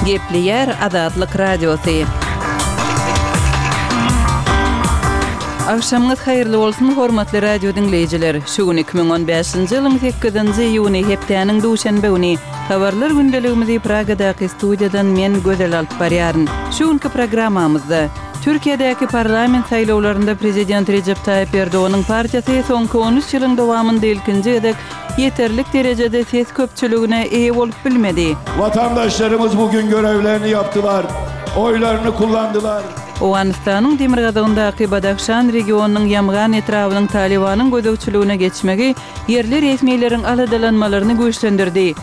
Gepleýär Azatlyk Radiosy. Agşamyňyz haýyrly bolsun, hormatly radio diňleýjiler! Şu gün 2015-nji ýylyň sekizinji iýuny, hepdäniň duşenbe güni. Habarlar gündeligimizi Pragadaky studiýadan men, Gözel alyp barýaryn. Şu günki programmamyzda, Türkiýedäki parlament saýlawlarynda prezident Rejep Taýyp Erdoganyň partiýasy soňky 13 ýylyň dowamynda ilkinji gezek ýeterlik derejede ses köpçüligine eýe bolup bilmedi. Vatandaşlarymyz bugün görevlerini yaptılar, oylarını kullandylar. Owganystanyň demirgazygyndaky Badahşan regionynyň Ýamgan etrabynyň Talybanyň gözegçiligine geçmegi ýerli resmileriň aladalanmalaryny güýçlendirdi.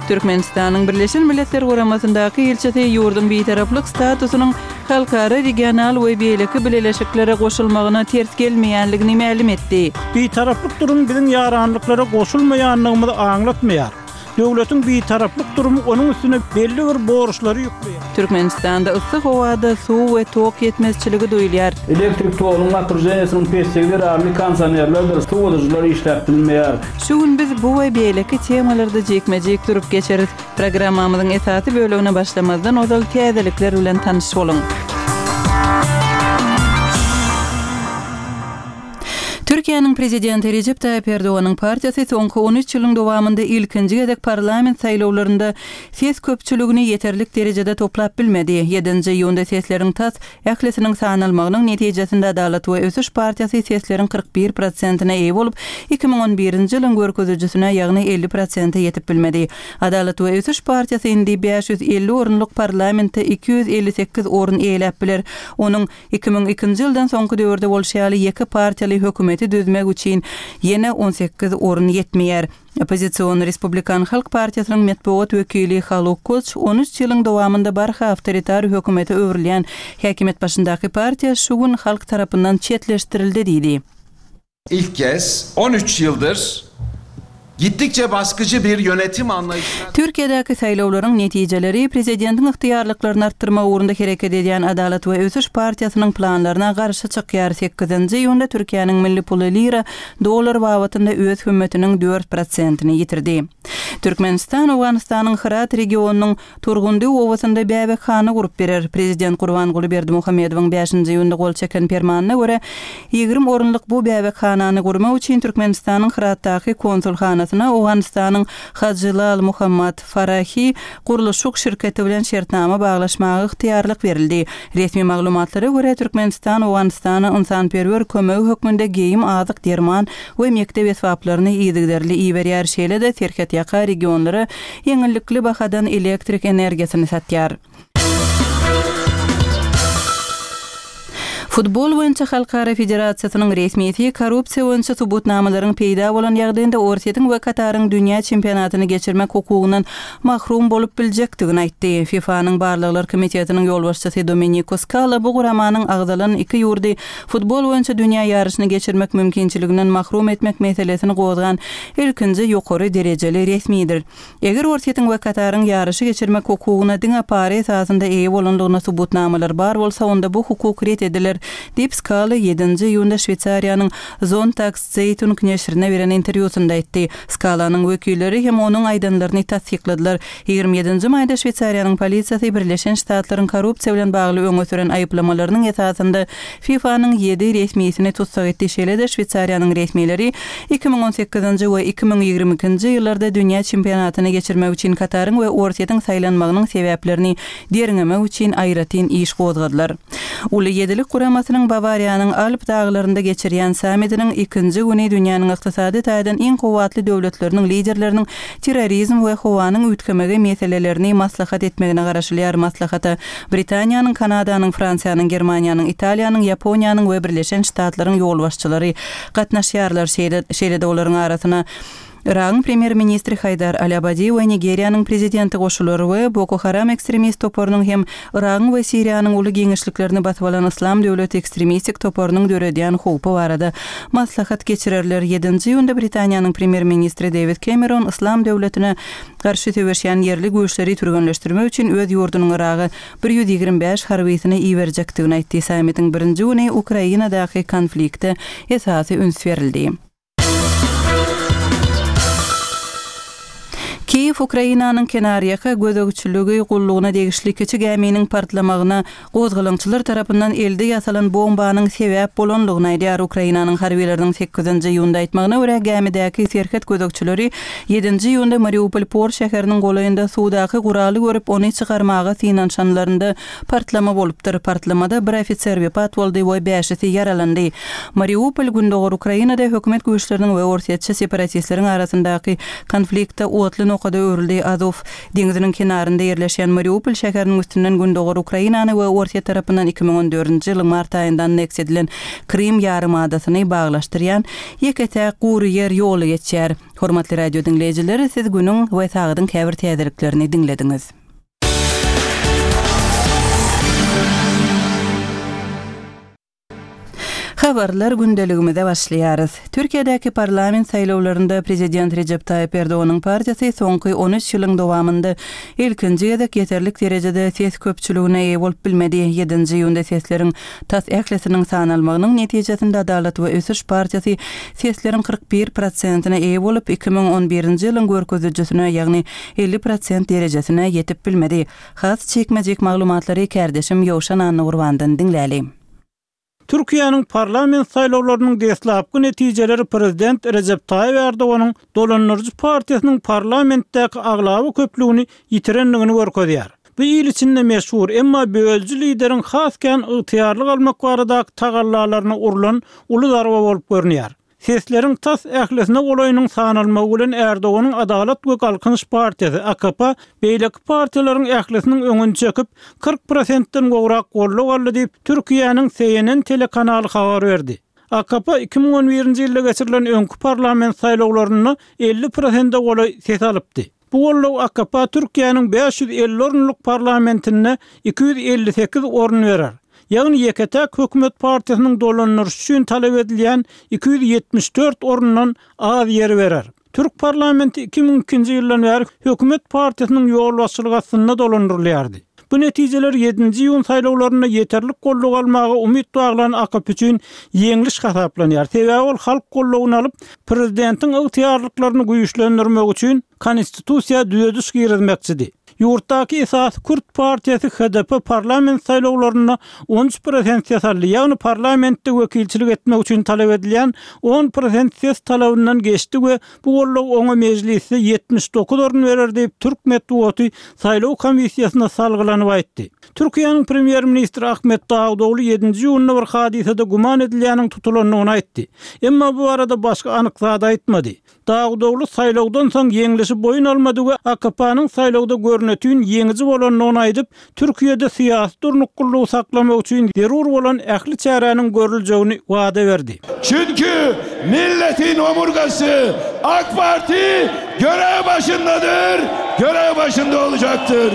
Türkmenistanyň Birleşen Milletler Guramasyndaky ilçisi ýurduň bitaraplyk statusynyň halkara, regional we beýleki bileleşiklere goşulmagyna ters gelmeýänligini mälim etdi. Bitaraplyk durumy biziň ýaranlyklara goşulmaýandygymyzy aňlatmaýar. Döwletiň bitaraplyk durumy onuň üstüne belli bir borçlary ýükleýär. Türkmenistanda yssy howada suw we tok ýetmezçiligi duýulýar. Elektrik togunyň napruženiýesiniň pesligi zerarly kondisionerlerdir sowadyjylar işläp bilmeýär. Şu gün biz bu we beýleki temalarda jikme-jik durup geçeris. Programmamyzyň esasy bölegine başlamazdan ozal täzelikler bilen tanyş boluň. Türkiýäniň Prezidenti Rejep Taýyp Erdoganyň partiýasy soňky 13 ýylyň dowamynda ilkinji gezek parlament saýlawlarynda ses köpçüligini ýeterlik derejede toplap bilmedi. Ýedinji iýunda sesleriň tas ählisiniň sanalmagynyň netijesinde Adalat we ösüş partiýasy sesleriň 41 prosentine eýe bolup, 2011-nji ýylyň görkezijisine, ýagny 50 prosente ýetip bilmedi. Adalat we ösüş partiýasy indi 550 orunlyk parlamentde 258 orun eýeläp biler. Onuň 2002-nji ýyldan soňky döwürde bolşy ýaly ýeke partiýaly hökümeti düzmek üçin ýene 18 orun ýetmeýär. Oppozision Respublikan halk partiýasynyň metbugat wekili Haluk Koç on üç ýylyň dowamynda barha awtoritar hökümete öwrülýän häkimiýet başyndaky partiýa şu gün halk tarapyndan çetleşdirildi diýdi. İlk kez 13 yıldır gittikçe baskıcı bir yönetim anlayışına Türkiýedäki saýlawlaryň netijeleri prezidentiň ygtyýarlyklaryny artdyrmak ugrunda hereket edýän Adalat we ösüş partiýasynyň planlaryna garşy çykýar. Sekizinji iýunda Türkiýäniň milli puly lira dollar babatynda öz hümmetiniň dört prosentini ýitirdi. Türkmenistan Owganystanyň Hyrat regionynyň Turgundy obasynda bäbekhana gurup berer. Prezident Gurbanguly Berdimuhamedowyň bäşinji iýunda gol çeken permanyna görä, 20 orunlyk bu bäbekhanany gurmak üçin Türkmenistanyň Hyratdaky konsulhanasyna Owganystanyň Hajy Lal Muhammad Farahi gurluşyk şirketi bilen şertnama baglaşmaga ygtyýarlyk berildi. Resmi maglumatlara görä, Türkmenistan Owganystana ynsanperwer kömegi hökmünde geýim, azyk, derman we mekdep esbaplaryny yzygiderli iberýär, şeýle-de serhetýaka regionlara ýeňillikli bahadan elektrik energiýasyny satýar. Futbol boýunça halkara federasiýasynyň resmisi korrupsiýa boýunça subutnamalaryň peýda bolan ýagdaýynda Orsýetiň we Kataryň dünýä çempionatyny geçirmek hukugyndan mahrum bolup biljekdigini aýtdy. FIFA-nyň barlaglar komitetiniň ýolbaşçysy Domeniko Skala bu guramanyň agzalan iki ýurdy futbol boýunça dünýä ýaryşyny geçirmek mümkinçiliginden mahrum etmek meselesini gozgan ilkinji ýokary derejeli resmidir. Eger Orsýetiň we Kataryň ýaryşy geçirmek hukugyna diňe para esasynda eýe bolandygyna subutnamalar bar bolsa, onda bu hukuk ret ediler, diýip, Skala ýedinji iýunda Şweýsariýanyň Sonntagszeitung neşirine beren interwýusynda aýtdy. Skalanyň wekilleri hem onuň aýdanlaryny tassykladylar. 27-nji maýda Şweýsariýanyň polisiýasy Birleşen Ştatlaryň korrupsiýa bilen bagly öňe süren aýyplamalarynyň esasynda FIFA-nyň ýedi resmisini tussag etdi, şeýle-de Şweýsariýanyň resmileri 2018-nji we 2022-nji ýyllarda dünýä çempionatyny geçirmek üçin Kataryň we Orsýetiň saýlanmagynyň sebäplerini derňemek üçin aýratyn iş gozgadylar. Uly ýedilik guramasynyň Bawariýanyň Alp daglarynda geçirýän sammitiniň ikinji güni dünýäniň ykdysady taýdan iň kuwwatly döwletleriniň liderleriniň terrorizm we howanyň üýtgemegi meselelerini maslahat etmegine garaşylýar. Maslahata Britaniýanyň, Kanadanyň, Fransiýanyň, Germaniýanyň, Italiýanyň, Ýaponiýanyň we Birleşen Ştatlaryň ýolbaşçylary gatnaşýarlar. Şeýle-de olaryň arasyna Yragyň premýer-ministri Haýdar al-Abadi we Nigeriýanyň prezidenti goşular we Boko Haram ekstremist toparynyň hem Yragyň we Siriýanyň uly giňişliklerini basyp alan Yslam döwleti ekstremistik toparynyň döredýän howpy barada maslahat geçirerler. Ýedinji iýunda Britaniýanyň premýer-ministri Dewid Kemeron Yslam döwletine garşy söweşýän ýerli güýçleri türgenleşdirmek üçin öz ýurdunyň Yraga 125 harbysyny iberjekdigini aýtdy. Sammitiň birinji güni Ukrainadaky konflikte esasy üns berildi. Kiýew Ukrainanyň kenarýaka gözegçiligi gullugyna degişli kiçi gäminiň partlamagyna gozgalaňçylar tarapyndan elde ýasalan bombanyň sebäp bolandygyny aýdýar. Ukrainanyň harbylarynyň sekizinji iýunda aýtmagyna görä, gämidäki serhet gözegçileri ýedinji iýunda Mariupol port şäheriniň golaýynda suwdaky guraly görüp, ony çykarmaga synanyşanlarynda partlama bolupdyr. Partlamada bir ofiser wepat boldy we bäşisi ýaralandy. Mariupol gündogar Ukrainada hökümet güýçleriniň we orsýetçi separatistleriň arasyndaky konfliktde otly nokada öwrüldi. Azow deňziniň kenarynda ýerleşýän Mariupol şäheriniň üstünden gündogar Ukrainany we Orsýet tarapyndan 2014-nji ýylyň mart aýynda anneksiýa edilen Krym ýarymadasyny baglaşdyrýan ýeke-täk gury ýer ýoly geçýär. Hormatly radio diňleýjiler, siz günüň we sagadyň käbir täzeliklerini diňlediňiz. Habarlar gündeligimize başlaýarys. Türkiýedäki parlament saýlawlarynda prezident Rejep Taýyp Erdoganyň partiýasy soňky 13 ýylyň dowamynda ilkinji gezek ýeterlik derejede ses köpçüligine eýe bolup bilmedi. Ýedinji iýunda sesleriň tas ählisiniň sanalmagynyň netijesinde Adalat we ösüş partiýasy sesleriň 41 prosentine eýe bolup, 2011-nji ýylyň görkezijisine, ýagny 50 prosent derejesine ýetip bilmedi. Has jikme-jik maglumatlary kärdeşim Ýowşan Annagurbandan diňläli. Türkiýäniň parlament saýlawlarynyň deslapky netijeleri prezident Rejep Taýyp Erdoganyň dolandyryjy partiýasynyň parlamentdäki aglaba köplügini ýitirendigini görkezýär. Bu il içinde meşhur, emma bölüji lideriň has kän ygtyýarlyk almak baradaky tagallalaryna urlan uly zarba bolup görünýär. Sesleriň tas ählisine golaýynyň sanalmagy bilen Erdoganyň Adalat we Galkynyş partiýasy, AKP, beýleki partiýalaryň ählisiniň öňüni çekip, 40 prosentden gowrak goldaw aldy diýip, Türkiýäniň CNN telekanaly habar berdi. AKP 2011-nji ýylda geçirilen öňki parlament saýlawlarynda 50 prosente golaý ses alypdy. Bu goldaw AKP Türkiýäniň 550 orunlyk parlamentinde 258 orun berer. Ýagny ýeke-täk hökümet partiýasynyň dolandyryşy üçin talap edilýän 274 orundan az ýer berer. Türk parlamenti 2002-nji ýyldan bäri hökümet partiýasynyň ýolbaşçylygy astynda dolandyrylýardy. Bu netijeler ýedinji iýun saýlawlarynda ýeterlik goldaw almaga umyt baglan AKP üçin ýeňliş hasaplanýar. Sebäbi ol halk goldawyny alyp, prezidentiň ygtyýarlyklaryny güýçlendirmek üçin konstitusiýa düzediş girizmekçidi. Ýurtdaky esasy kürt partiýasy HDP parlament saýlawlarynda 13 prosent ses aldy, ýagny parlamentde wekilçilik etmek üçin talap edilýän on prosent ses talabyndan geçdi we Bu goldaw oňa mejlisde 79 orun berer diýip, türk metbugaty saýlaw komissiýasyna salgylanyp aýtdy. Türkiýäniň premýer-ministri Ahmet Dawutogly ýedinji iýunda bir hadysada güman edilýäniň tutulandygyny aýtdy. Emma bu barada başga anyk zat aýtmady. Dawutogly saýlawdan soň ýeňlişi boýun almady we AKP-nyň saýlawda görnetin ýeňiji bolandygyny aýdyp, Türkiýede syýasy durnuklylygy saklamak üçin zerur bolan ähli çäräniň görüljegini wada berdi. Çünki milletin omurgasy ak Parti görev başyndadyr, görev başynda olacaktır.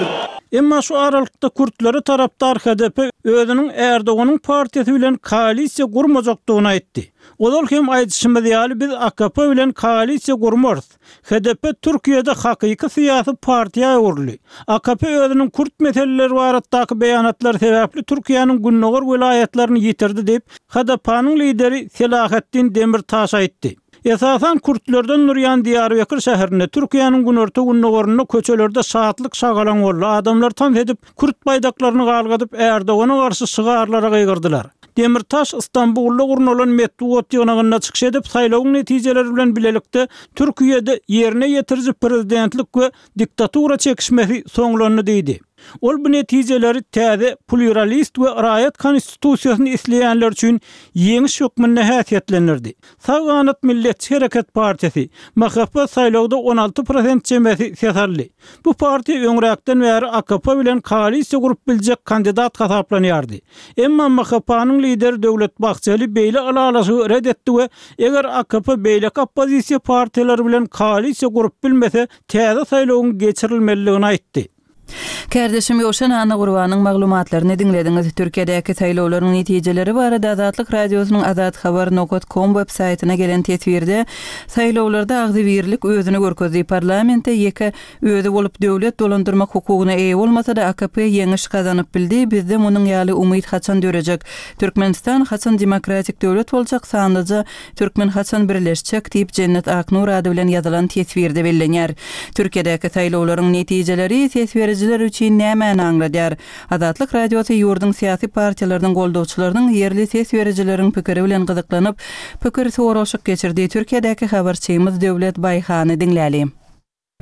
Emma şu aralykda kürtlere tarapdar HDP özüniň Erdoganyň partiýasy bilen koalisiýa gurmajakdygyny aýtdy. Ozal hem aýdyşymyz ýaly biz AKP bilen koalisiýa gurmarys. HDP Türkiýede hakyky syýasy partiýa öwrüldi. AKP özüniň kürt meseleleri baratdaky beýanatlary sebäpli Türkiýäniň gündogar welaýatlaryny ýitirdi diýip, HDP-niň lideri Selahatdin Demirtaş aýtdy. Esasan kürtlerden durýan Diýarbekir şäherinde, Türkiýäniň günorta-gündogarynda köçelerde şatlyk-şagalaň boldy, adamlar tans edip, kürt baýdaklaryny galgadyp, Erdogana garşy şygarlara gygyrdylar. Demirtaş Stambulda gurnalan metbugat ýygnagynda çykyş edip, saýlawyň netijeleri bilen bilelikde Türkiýede ýerine ýetiriji prezidentlik we diktatura çekişmesi soňlandy diýdi. Ol bu netijeleri täze plýuralist we raýat konstitusiýasyny isleýänler üçin ýeňiş hökmünde häsiýetlendirdi. Sag ganat Milletçi hereket partiýasy, MHP, saýlawda 16 prosent çemesi ses aldy. Bu partiýa öňräkden bäri AKP bilen koalisiýa gurup biljek kandidat hasaplanýardy. Emma MHP-nyň lideri Döwlet Bahçeli beýle ylalaşygy ret etdi we eger AKP beýleki oppozisiýa partiýalary bilen koalisiýa gurup bilmese, täze saýlawyň geçirilmelidigini aýtdy. Kärdeşim Ýowşan Annagurbanyň maglumatlaryny diňlediňiz. Türkiýedäki saýlawlaryň netijeleri barada Azatlyk Radiosynyň azathabar nokat kom web saýtyna gelen teswirde, Saýlawlarda agzybirlik özüni görkezdi. Parlamentde ýeke özi bolup döwlet dolandyrmak hukugyna eýe bolmasa-da AKP ýeňiş gazanyp bildi. Bizde munuň ýaly umyt haçan dörejek? Türkmenistan haçan demokratik döwlet boljak? Sanlyja Türkmen haçan birleşjek? diýip, Jennet Aknur ady bilen ýazylan teswirde bellenýär. Türkiýedäki saýlawlaryň netijeleri ses berijiler üçin nämäni aňladýar? Azatlyk Radiosy ýurduň syýasy partiýalarynyň goldawçylarynyň ýerli ses berijileriň pikiri bilen gyzyklanyp, pikir soralyşyk geçirdi. Türkiýedäki habarçymyz Döwlet Baýhany diňläli.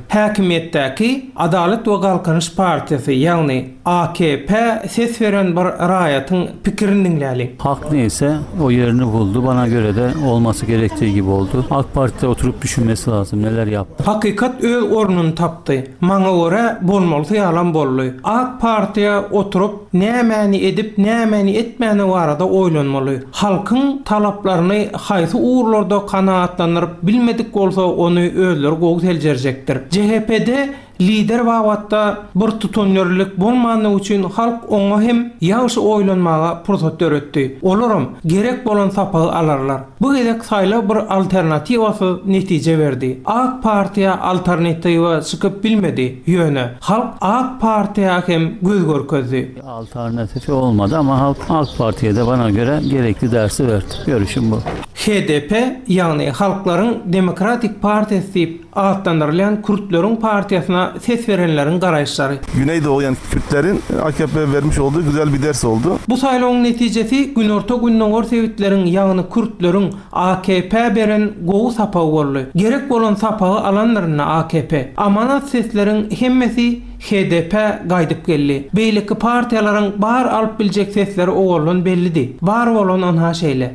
Häkimiýetdäki Adalat we Galkynyş partiýasy, ýagny AKP ses beren bir raýatyň pikirini diňläliň. Hak neýse o yerini buldu bana görede olmasy gerektiği gibi oldu. Ak partide oturup düşünmesi lazym neler yaptı. Hakykat öz ornuny tapdy. Maňa görä bolmalysy ýalam boldy. Ak partiýa oturyp nämäni edip nämäni etmäni barada oýlanmaly. Halkyň talaplaryny haýsy ugurlarda kanagatlandyryp bilmedik bolsa ony özleri gowy seljerjekdir. JHP-de lider babatda bir tutanýerlilik bolmandygy üçin halk oňa hem ýagşy oýlanmaga pursat döretdi. Olaram gerek bolan sapagy alarlar. Bu gezek saýlaw bir alternatiwasyz netije berdi. Ak partiýa alternatiwa çykyp bilmedi. Ýöne halk Ak partiýa hem göz görkezdi. Alternatifi olmady ama halk Ak Partiýa-da bana göre gerekli dersi berdi. Görüşüm bu. HDP, ýagny Halklaryň Demokratik Partiýasy diýip atlandyrylýan kürtleriň partiýasyna ses berenleriň garaýyşlary. Güneydoğu yani Kürtlerin AKP vermiş olduğu güzel bir ders oldu. Bu saýlawyň netijesi günorta-gündogar sebitleriň ýagny kürtleriň AKP beren gowy sapagy boldy. Gerek bolan sapagy alandyr indi AKP. Amanat sesleriň hemmesi HDP gaýdyp geldi. Beýleki partiýalaryň bar alyp biljek sesleri owaldan bellidi. Bar bolan ynha şeýle.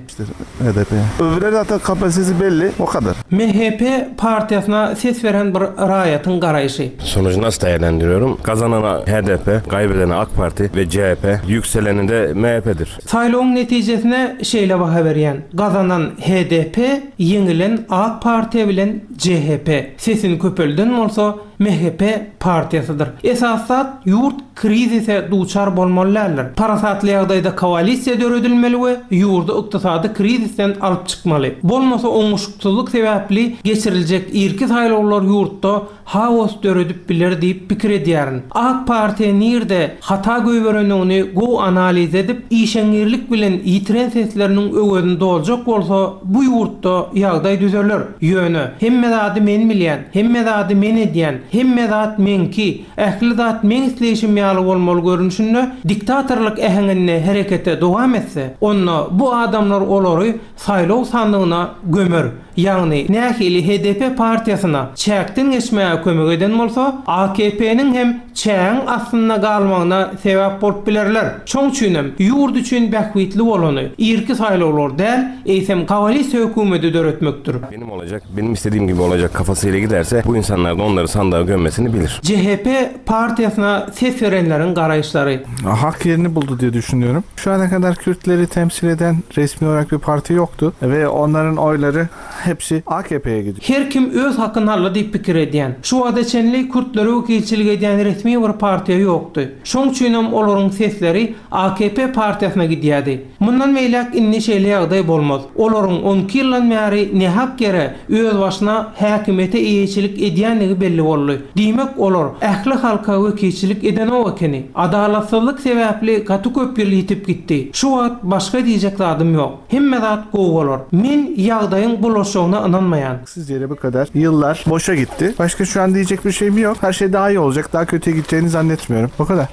HDP. Öbürleri zaten kapasitesi belli, o kadar. MHP partiýasyna ses beren bir raýatyň garaýşy. Sonucu nasıl değerlendiriyorum? Kazanana HDP, kaybedene AK Parti ve CHP, yükseleni de MHP'dir. Saýlawyň netijesine şeýle baha berýän, Gazanan HDP, ýeňilen AK Partiýa bilen CHP. Sesini köpelden bolsa MHP partiýasydyr. Esasy zat ýurt krizise duçar bolmaly däldir. Parasatly ýagdaýda koalisiýa döredilmeli we ýurdy ykdysady krizisden alyp çykmaly. Bolmasa oňuşyksyzlyk sebäpli geçiriljek irki saýlawlar ýurtda haos döredip biler diýip pikir edýärin. Ak partiýa nirde hata goýberendigini gowy analiz edip, işeňňirlik bilen ýitiren sesleriniň öwezini doljak bolsa bu ýurtda ýagdaý düzeler. Ýöne, hemme zady men bilýän, hemme zady men edýän, hemme zat meňki, ähli zat meň isleýşim ýaly bolmaly görnüşinde diktatorlyk äheňinde herekete dowam etse, onda bu adamlar olary saýlaw sandygyna gömer. Ýagny, nähili HDP partiýasyna çäkden geçmäge kömek eden bolsa, AKP-niň hem çägiň astynda galmagyna sebäp bolup bilerler. Şoň üçinem, ýurt üçin bähbitli bolany, irki saýlawlar däl, eýsem koalisiýa hökümeti döretmekdir. Benim olacak, benim istediğim gibi olacak kafasıyla giderse bu insanlar da onları sandığa gömmesini bilir. CHP partiýasyna ses berenleriň garaýyşlary. Hak yerini buldu diye düşünüyorum. Şu ana kadar Kürtleri temsil eden resmi olarak bir parti yoktu ve onların oyları hepsi AKP'ye gidiyor. Her kim öz hakyny aldy diýip pikir edýän. Şu wagta çenli kürtlere wekilçilik edýän resmi bir partiýa ýokdy. Şoň üçinem olaryň sesleri AKP partiýasyna gidýärdi. Mundan beýläk indi şeýle ýagdaý bolmaz. Olaryň 12 ýyldan bäri nähak ýere özbaşyna häkimiýete eýeçilik edýändigi belli boldy. Diýmek olar ähli halka wekilçilik edenok ekeni. Adalatsyzlyk sebäpli gaty köp ýyl ýitip gitdi. Şu wagt başga diýjek zadym ýok. Hemme zat gowy bolar. Men ýagdaýyň bulaşjagyna ynanmaýan. Haksız ýere bu kadar ýyllar boşa gitdi. Başga şu an diýjek bir şeyim ýok. Her şey daha iyi olacak. Daha kötüye gideceğini zannetmiyorum. O kadar.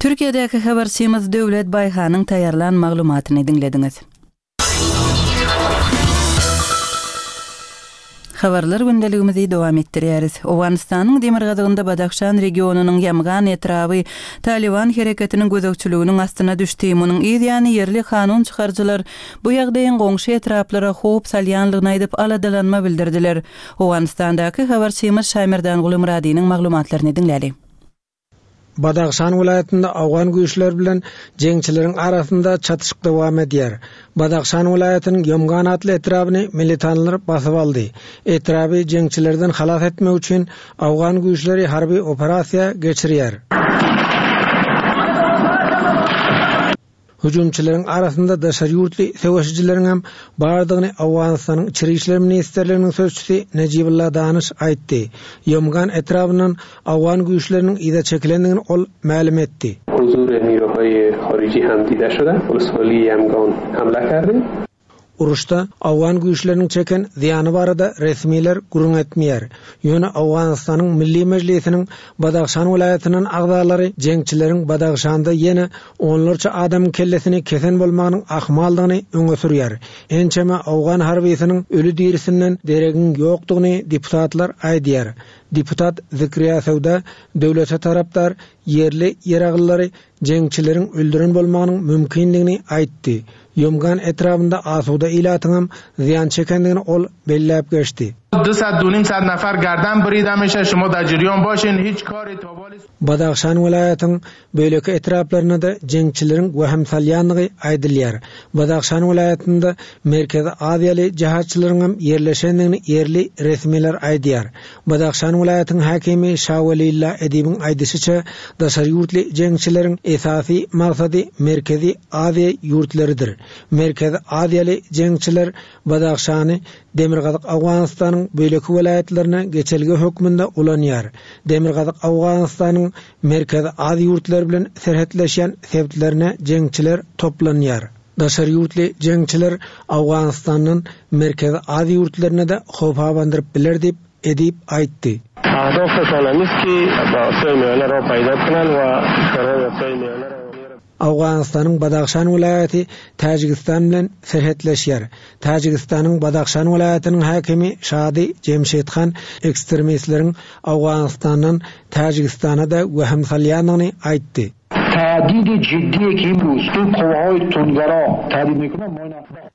Türkiýedäki habarçymyz Döwlet Baýhanyň taýýarlan maglumatyny diňlediňiz. Habarlar gündeligimizi dowam etdirýäris. Owganystanyň demirgazygynda Badahşan regionynyň Ýamgan etraby Talyban hereketiniň gözegçiliginiň astyna düşdi. Munuň yz ýany ýerli kanun çykaryjylar bu ýagdaýyň goňşy etraplara howp salýanlygyny aýdyp aladalanma bildirdiler. Owganystandaky habarçymyz Şaýmerdanguly Myradynyň maglumatlaryny diňläli. Badahşan welaýatynda owgan güýçleri bilen jeňçileriň arasynda çatyşyk dowam edýär. Badahşan welaýatynyň Ýomgan atly etrabyny militanlar basyp aldy. Etraby jeňçilerden halas etmek üçin owgan güýçleri harby operasiýa geçirýär. Hüjümçileriň arasynda daşary ýurtly söweşijileriň hem bardygyny Owganystanyň Içeri işler ministrliginiň sözçüsi Nejibullah Danyş aýtdy. Ýomgan etrabyndan owgan güýçleriniň yza çekilendigini ol mälim etdi. Huzur niruhay hariji ham dide şude, wolswali Ýamgan hamle kerde. Uruşda owgan güýçleriniň çeken zyýany barada resmiler gürrüň etmeýär. Ýöne Owganystanyň Milli Mejlisiniň Badahşan welaýatyndan agzalary jeňçileriň Badahşanda ýene onlarça adamyň kellesini kesen bolmagynyň ahmaldygyny öňe sürýär. Ençeme owgan harbysynyň öli-dirisinden deregiň ýokdugyny deputatlar aýdýar. Deputat Zikriýa Söwda döwlete tarapdar ýerli ýeraglylary jeňçileriň öldüren bolmagynyň mümkindigini aýtdy. Ýomgan etrabynda asuda ilatyňam zyýan çekendigini ol belläp geçdi. Badahşan welaýatyň beýleki etraplarynda-da jeňçileriň wehim salýandygy aýdylýar. Badahşan welaýatynda Merkezi Aziýaly jehatçylaryňam ýerleşendigini ýerli resmiler aýdýar. Badahşan welaýatyň häkimi Şawelilla Edibiň aýdyşyça, daşary ýurtly jeňçileriň esasy maksady Merkezi Aziýa ýurtlarydyr. Merkezi Aziýaly jeňçiler Badahşany Demirgazyk Owganystanyň beýleki welaýatlaryna geçelge hökmünde ulanýar. Demirgazyk Owganystanyň Merkezi Aziýa ýurtlary bilen serhetleşýän sebitlerine jeňçiler toplanýar. Daşary ýurtly jeňçiler Owganystandan Merkezi Aziýa ýurtlaryna-da howp abandyryp biler diýip, Edip aýtdy. Owganystanyň Badahşan welaýaty Täjigistan bilen serhetleşýär. Täjigistanyň Badahşan welaýatynyň häkimi Şady Jemşit Han ekstremistleriň Owganystandan Täjigistana-da wehim salýandygyny aýtdy.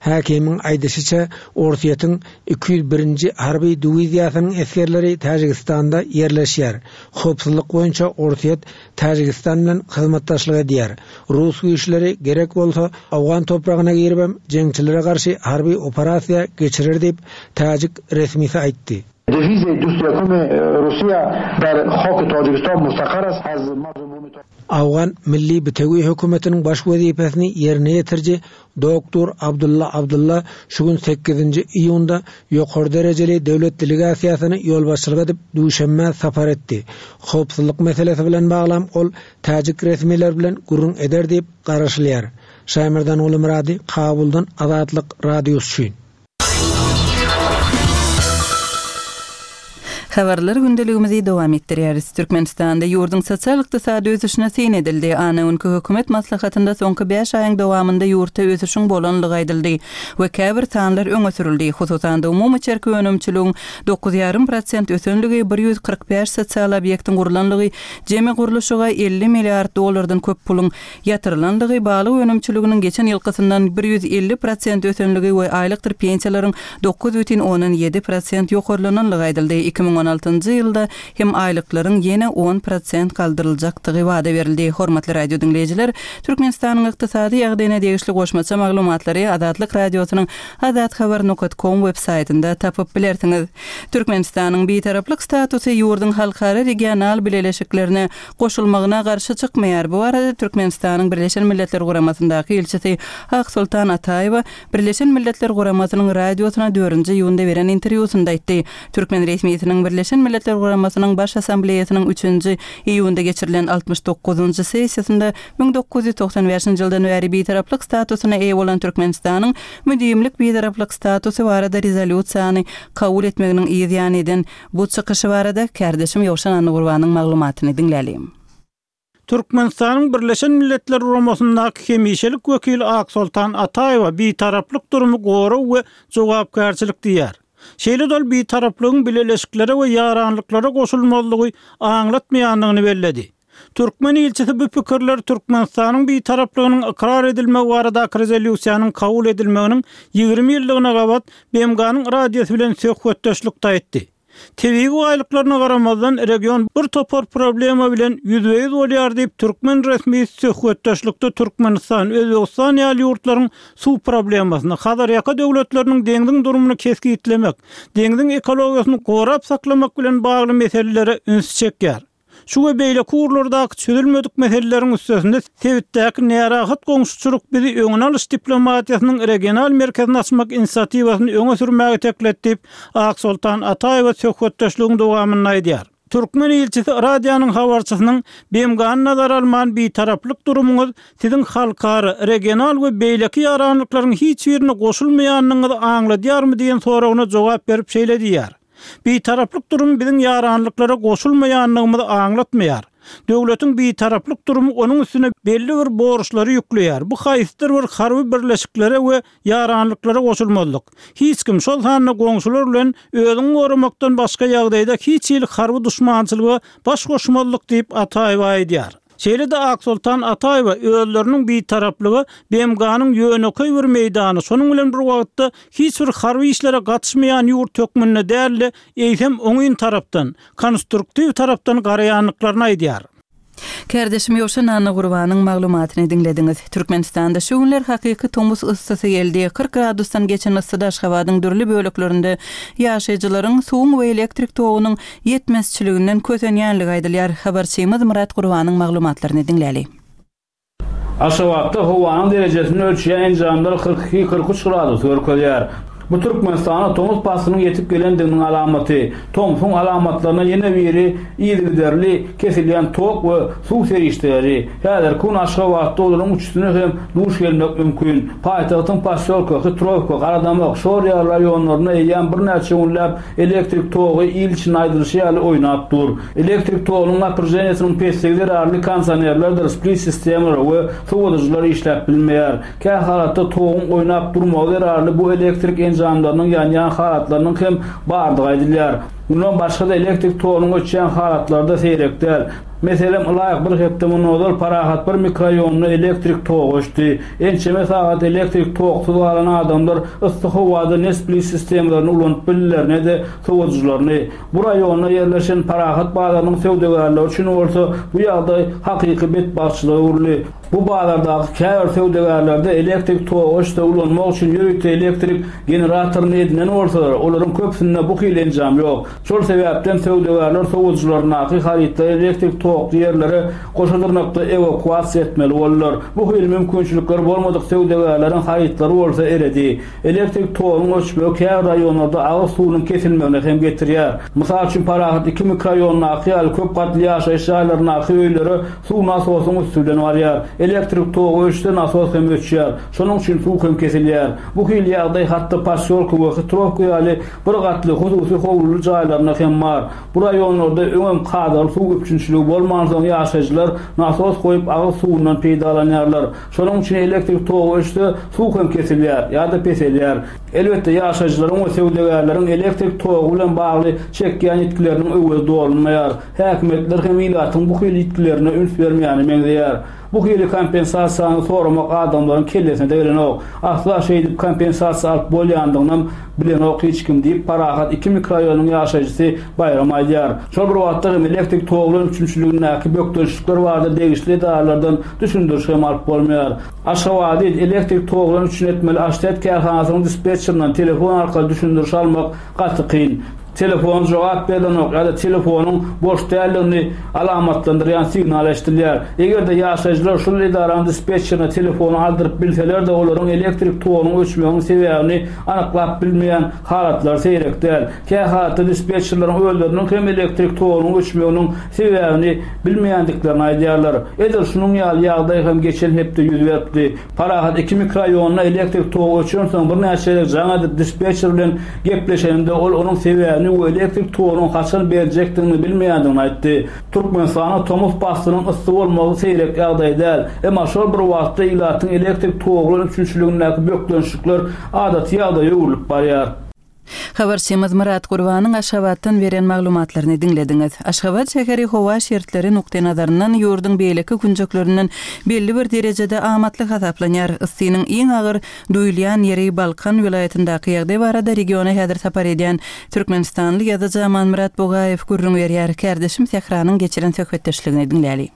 Häkimiň aýdyşyça, Orsýetiň 201-nji harby diwiziýasynyň esgerleri Täjigistanda ýerleşýär. Howpsuzlyk boýunça Orsýet Täjigistan bilen hyzmatdaşlyk edýär. Rus güýçleri, gerek bolsa, owgan topragyna giribem jeňçilere garşy harby operasiýa geçirer diýip, täjik resmisi aýtdy. Owgan Milli bitewi hökümetiniň baş wezipesini ýerine ýetiriji doktor Abdulla Abdulla şu gün sekizinji iýunda ýokary derejeli döwlet delegasiýasyny ýolbaşçylyk edip Duşenbä sapar etdi. Howpsuzlyk meselesi bilen baglam ol täjik resmileri bilen gürrüň eder diýip garaşylýar. Şaýmerdan Gulymyrady, Kabuldan Azatlyk Radiosy üçin. Habarlar gündeligimizi dowam etdirýäris. Türkmenistanda ýurduň sosial-ykdysady ösüşine syn edildi. Anna günki hökümet maslahatynda soňky bäş aýyň dowamynda ýurtda ösüşiň bolanlygy aýdyldy we käbir sanlar öňe sürüldi. Hususan-da, umumy içerki önümçiligiň dokuz ýarym prosent ösenligi, 145 sosial obýektiň gurlanlygy, jemi gurluşyga 50 milliard dollardan köp puluň ýatyrylandygy, balyk önümçiliginiň geçen ýylkysyndan 150 prosent ösenligi we aýlykdyr pensiýalaryň 9,7 prosent ýokarlananlygy aýdyldy. 2016-njy ýylda hem aýlyklaryň ýene on prosent galdyryljakdygy wada berildi. Hormatly radio diňleýjiler, Türkmenistanyň ykdysady ýagdaýyna degişli goşmaça maglumatlary Azatlyk Radiosynyň azathabar nokat kom web saýtynda tapyp bilersiňiz. Türkmenistanyň Bitaraplyk statusy ýurduň halkara regional bileleşiklerine goşulmagyna garşy çykmaýar. Bu barada Türkmenistanyň Birleşen Milletler Guramasyndaky ilçisi Aksoltan Ataýewa Birleşen Milletler Guramasynyň radiosyna dördünji iýunda beren interwýusynda aýtdy. Türkmen resmisiniň Birleşen Milletler Guramasynyň Baş Assambleýasynyň üçünji iýunda geçirilen 69-njy sessiýasynda 1995-nji ýyldan bäri bitaraplyk statusyna eýe bolan Türkmenistanyň müdimlik bitaraplyk statusy barada rezolýusiýany kabul etmeginiň yz ýany eden Bu çykyşy barada kärdeşim Ýowşan Annagurbanyň maglumatyny diňläliň. Türkmenistanyň Birleşen Milletler Guramasyndaky hemişelik wekili Aksoltan Ataýewa bitaraplyk durumy gorag we jogapkärçilik diýýär. Şeýle-de ol bitaraplygyň bileleşiklere we ýaranlyklara goşulmazlygy aňlatmaýandygyny belledi. Türkmen ilçisi bu pikirleri Türkmenistanyň Bitaraplygynyň ykrar edilmegi baradaky rezolýusiýanyň kabul edilmeginiň 20 ýyllygyna gabat BMG-niň radiosy bilen söhbetdeşlikde aýtdy. Tebigy baýlyklaryna garamazdan, region bir topar problema bilen ýüzbe-ýüz bolýar diýip, türkmen resmisi söhbetdeşlikde Türkmenistan, Özbegistan ýaly ýurtlaryň suw problemasyny, Hazarýaka döwletleriniň deňziň durumyny kesgitlemek, deňziň ekologiýasyny gorap saklamak bilen bagly meselelere ünsi çekýär. Şu we beýleki ugurlardaky çözülmedik meseleleriň üstesinde sebitdäki närahat goňşuçylyk bizi öňüni alyş diplomatiýasynyň regional merkezini açmak inisiatiwasyny öňe sürmäge iteklet diýip, Aksoltan Ataýewa söhbetdeşligiň dowamynda aýdýar. Türkmen ilçisi radionyň habarçysynyň BMG-ny nazara alman bitaraplyk durumyňyz siziň halkara, regional we beýleki ýaranlyklaryň hiç birine goşulmaýandygyňyzy aňladýarmy diýen soragyna jogap berip şeýle diýýär. Bitaraplyk durumy biziň ýaranlyklara goşulmaýandygymyzy aňlatmaýar. Döwletiň bitaraplyk durumy onuň üstüne belli bir borçlary ýükleýär, bu haýsydyr bir harby birleşiklere we ýaranlyklara goşulmazlyk. Hiç kim, şol sanda goňşular bilen özüňi goramakdan başga ýagdaýda hiç hili harby duşmançylyga baş goşmazlyk diýip, Ataýewa aýdýar. Şeýle-de Aksoltan Ataýewa özleriniň bitaraplyga BMG-niň ýönekeý bir meýdany, şonuň bilen bir wagtda hiç bir harby işlere gatyşmaýan ýurt hökmünde däl-de, eýsem oňyn tarapdan, konstruktiw tarapdan garaýandyklaryny aýdýar. Kärdeşim Ýowşan Annagurbanyň maglumatyny diňlediňiz. Türkmenistanda şu günler hakyky tomus yssysy geldi. 40 gradusdan geçen yssyda Aşgabadyň dürli böleklerinde ýaşaýjylaryň suwuň we elektrik togunyň ýetmezçiliginden kösenýänligi aýdylýar. Habarçymyz Myrat Gurbanyň maglumatlaryny diňläli. Aşgabatda howanyň derejesini ölçeýän enjamlar 42, 43 gradus görkezýär. Bu Türkmenistana tomus paslynyň ýetip gelendiginiň alamaty. Tomsuň alamatlaryna ýene biri yzygiderli kesilýän tok we suw serişdeleri. Häzirki gün Aşgabatda olaryň üçüsine hem duş gelmek mümkin. Paýtagtyň Posýolka, Hitrowka, Garadamak, Şor ýaly raýonlarynda eýýäm birnäçe günläp Elektrik togy il içinde aýdylyşy ýaly oýnap dur. Elektrik togunyň napryženiýesiniň pesligi zerarly kondisionerlerdir split sistemalary we sowadyjylar işläp bilmeýär. Kä halatda toguň oýnap durmagy zerarly bu elektrik enjamlarynyň ýanýan halatlarynyň hem bardygy aýdylýar. Mundan başga-da elektrik togunyň öçýän halatlary-da seýrek däl. Meselem, ylaýyk bir hepde mundan ozal Parahat bir mikroraýonynda elektrik togy öçdi. Ençeme sagat elektrik toksuz galan adamlar yssy howada ne split sistemalaryny ulanyp bildiler, ne-de sowadyjylaryny. Bu raýonda ýerleşen Parahat bazarynyň söwdagärleri üçin bolsa bu ýagdaý hakyky betbagtçylyga öwrüldi. Bu bazardaky käbir söwdagärlerde elektrik togy öçse ulanmak üçin ýörite elektrik generatoryny edinen bolsalar, olaryň köpüsinde bu hili enjam ýok. Şol sebäpden söwdagärler sowadyjylaryndaky harytlary elektrik tokly ýerlere goşa dyrnakda ewakuasiýa etmeli boldular. Bu hili mümkinçilikleri bolmadyk söwdagärleriň harytlary bolsa eredi. Elektrik togunyň öçmegi käbir raýonlarda agyz suwunyň kesilmegine hem getirýär. Mysal üçin, Parahat II mikroraýonyndaky ýaly köp gatly ýaşaýyş jaýlaryndaky öýlere suw nasosyň üsti bilen barýar. Elektrik togy öçse nasos hem öçýär. Şonuň üçin suw hem kesilýär. Bu hili ýagdaý hatda Posýolka we Hitrowka ýaly bir gatly hususy howluly jaýlarynda hem bar. Bu raýonlarda öňem kadaly suw üpjünçiligi bolmansoň ýaşaýjylar nasos goýup agyz suwundan peýdalanýarlar. Şonuň üçin elektrik togy öçse suw hem kesilýär ýa-da peselýär. Elbetde ýaşaýjylaryň we söwdagärleriň elektrik togy bilen bagly çekýän ýitgileriniň öwezi dolunmaýar. Häkimiýetler hem ilatyň bu hili ýitgilerine üns bermeýäne meňzeýär. Bu hili kompensasiýany soramak adamlaryň kellesine-de gelenok. Asla şeýdip kompensasiýa alyp bolýandygynam bilenok hiç kim diýip, Parahat II mikroraýonynyň ýaşaýjysy Baýram aýdýar. Şol bir wagtda hem elektrik togy bilen üpjünçiligindäki bökdençlikler barada degişli edaralardan düşündiriş hem alyp bolmaýar. Aşgabady elektrik togy bilen üpjün etmeli Aştet kärhanasynyň dispetçerinden telefon arkaly düşündiriş almak gaty kyn. Telefon jogap berlenok ýa-da telefonyň boş däldigini alamatlandyrýan signal eşidilýär. Eger-de ýaşaýjylar şol edaranyň dispetçerine telefony aldyryp bilseler-de, olaryň elektrik togunyň öçmeginiň sebäbini anyklap bilmeýän halatlary seýrek däl. Kähalatda dispetçerleriň özleriniň hem elektrik togunyň öçmeginiň sebäbini bilmeýändiklerini aýdýarlar. Edil şunuň ýaly ýagdaý hem geçen hepde ýüz beripdi. Parahat II mikroraýonynda elektrik togy öçensoň birnäçe gezek jaň edip dispetçer bilen gepleşeninde ol onuň sebäbini we elektrik togunyň haçan beriljekdigini bilmeýändigini aýtdy. Türkmenistanda tomus paslynyň yssy bolmagy seýrek ýagdaý däl. Emma şol bir wagtda ilatyň elektrik togy bilen üpjünçiligindäki bökdençlikler adaty ýagdaýa öwrülip barýar. Habarçymyz Myrat Gurbanyň Aşgabatdan beren maglumatlaryny diňlediňiz. Aşgabat şäheri howa şertleri nukdaýnazaryndan ýurduň beýleki künjeklerinden belli bir derejede amatly hasaplanýar. Yssynyň iň agyr duýulýan ýeri Balkan welaýatyndaky ýagdaý barada regiona häzir sapar edýän türkmenistanly ýazyjy Amanmyrat Bugaýew gürrüň berýär. Kärdeşim Sähranyň geçiren söhbetdeşligini diňläli.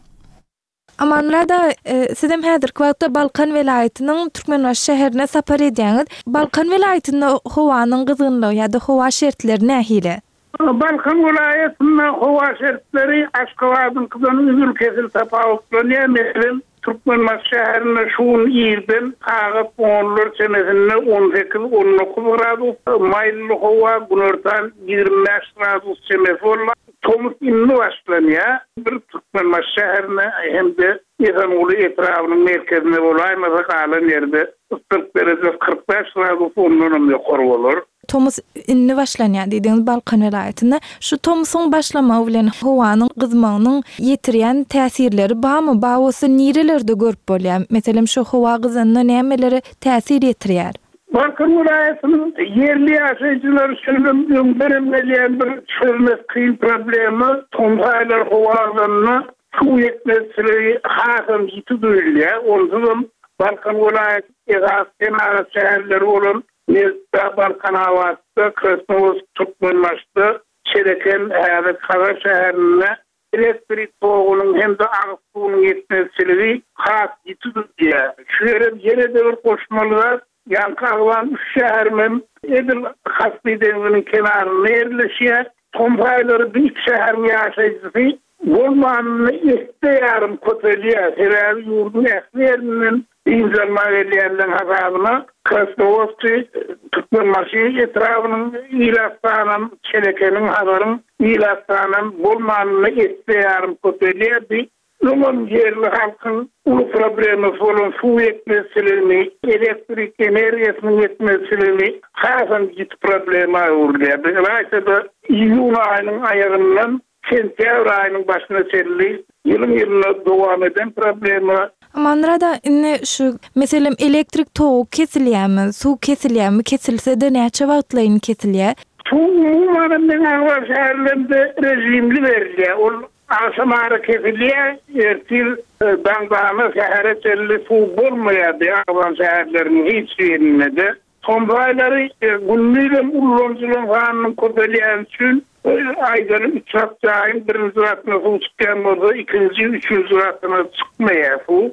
Amanmyrat aga, sizem häzirki wagtda Balkan welaýatynyň Türkmenbaşy şäherine sapar edýäňiz. Balkan welaýatynda howanyň gyzgynlygy ýa-da howa şertleri nähili? Balkan welaýatynda howa şertleri Aşgabadyňkydan üzül-kesil tapawutlanýar. Meselem, Türkmenbaşy şäherinde şu gün irden sagat onlar çemesinde on sekiz, on dokuz gradus maýylly howa, günortan 25 gradus çemesi boldy. Tomus indi başlanýar. Bir Türkmenbaşy şäherinde hem-de Esenguly etrabynyň merkezinde bolaýmasa galan ýerde yssylyk derejesi 45 gradus ondanam ýokary bolar. Tomus indi başlanýar diýdiňiz Balkan welaýatynda. Şu tomusyň başlamagy bilen howanyň gyzmagynyň ýetirýän täsirleri barmy? Bar bolsa nirelerde görüp bolýar? Meselem şu howa gyzanda nämelere täsir ýetirýär? Balkan welaýatynyň ýerli ýaşaýjylary üçin hem öňdenem gelýän bir çözmek kyn problema tomus aýlary howa gyzanda suw ýetmezçiligi hasam ýiti duýulýar. Onsuzam Balkan welaýaty esasy senagat şäherleri bolan Nebitdag, Balkanabatda, Krasnowodsk, Türkmenbaşyda, Çeleken, häzir Hazar şäherinde elektrik togunyň hem-de agyz suwunyň ýetmezçiligi has ýiti duýulýar. Şu ýere ýene-de bir goşmaly zat, ýaňky agzan üç şäherim hem edil Kaspi deňziniň kenarynda ýerleşýär. Tomus aýlary bu iki şäheriň ýaşaýjysy bolmanynda esse ýarym köpelýär. Sebäbi ýurduň ähli ýerinden dynç almaga gelýänleriň hasabyna Krasnowodski, Türkmenbaşy etrabynyň ilat sanam, Çelekeniň, Hazaryň ilat sanam bolmanynda esse ýarym köpelýär. Bu öňem ýerli halkyň uly problemasy bolan suw ýetmezçiligini, elektrik energiýasynyň ýetmezçiligini hasam ýiti problema öwrülýär. Bu ylaýta-da iýun aýynyň aýagyndan Sentýabr aýynyň başyna çenli ýylyň-ýylyna dowam eden problema. Amanmyrat aga, indi şu, meselem, elektrik togy kesilýärmi, suw kesilýärmi, kesilse-de näçe wagtlaýyn kesilýär? Suw umumanam meň agzan şäherlerimde režimli berilýär. Ol agşam ara kesilýär, ertir daňdana sähere çenli suw bolmaýar bu agzan şäherleriň hiç birinde-de. Tomus aýlary gündizem ulanyjylaryň sanynyň köpelýäni üçin, aýdaly üç gat jaýyň birinji gatyna suw çykýan bolsa, ikinji, üçünji gatyna çykmaýar suw.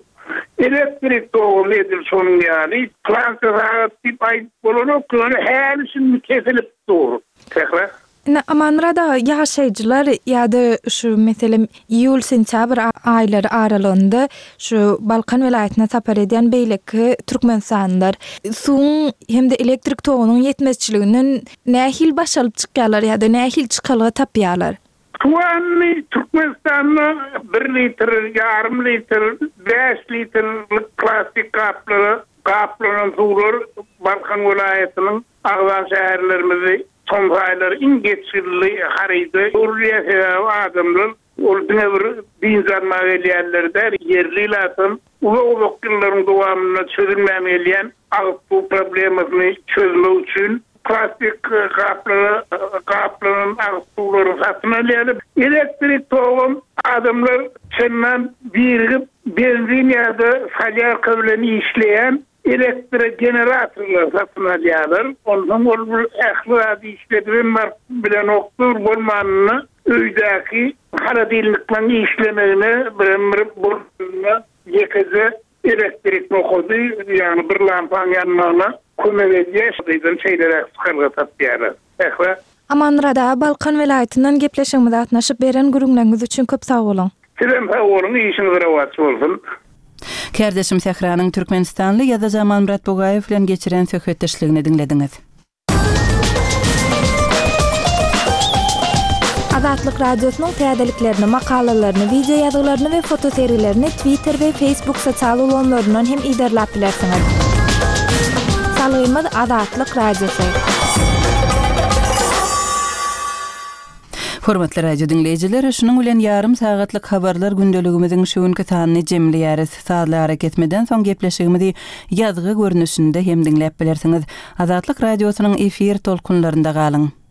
Elektrik togam edil şonuň ýaly. Pylança sagat diýip aýdyp bolanok, ýöne häli-şindi kesilip dur. Sähra. Indi Amanmyrat aga, ýaşaýjylar ýa-da şu meselem iýul-sentýabr aýlary aralygynda şu Balkan welaýatyna sapar edýän beýleki türkmenistanlylar suwuň hem-de elektrik togunyň ýetmezçiliginden nähili baş alyp çykýarlar ýa-da nähili çykalga tapýarlar? Suwa indi Türkmenistanda bir litr, ýarym litr, bäş litrlik plastik gaplara gaplanan suwlar Balkan welaýatynyň Agzan şäherlerimizi tomus aýlary iň geçginli haryda öwrülýär, sebäbi adamlar ol diňe bir dynç almaga gelýänler däl, ýerli ilatam uzak-uzak ýyllaryň dowamynda çözülmän gelýän agyz suw problemasyny çözmek üçin plastik gaplara gaplanan agyz suwlaryny satyn alýarlar. Elektrik togam adamlar çendan birigip benzin ýa-da solýarka bilen işleýän Elektrogeneratorlar satyn alýarlar. Onsoň ol bir ähli zady işledibem baryp bilenokdyr, bolmanynda öýdäki holodilnikleriň işlemegine birem bir bolmanda ýekeje elektrik nokady, ýagny bir lampaň ýanmagyna kömek edýär. Şeýdibem şeýleräk çykalga tapýarlar. Sähra. Amanmyrat aga Balkan welaýatyndan gepleşigimize gatnaşyp beren gürrüňleriňiz üçin köp sag boluň. Sizem sag boluň işiňiz rowaç bolsun. Kärdeşim Sähranyň türkmenistanly ýazyjy Amanmyrat Bugaýew bilen geçiren söhbetdeşligini diňlediňiz. Azatlyk Radiosynyň täzeliklerini, makalalaryny, wideo ýazgylaryny we fotosergilerini Twitter we Facebook sosial ulgamlaryndan hem yzarlap bilersiňiz. Salgymyz Azatlyk Radiosy. Hormatly radio diňleýjiler, şunuň bilen ýarym sagatlyk habarlar gündeligimiziň şu günki sanyny jemleýäris. Sazly arakesmeden soň gepleşigimizi ýazgy görnüşinde hem diňläp bilersiňiz. Azatlyk Radiosynyň efir tolkunlarynda galyň!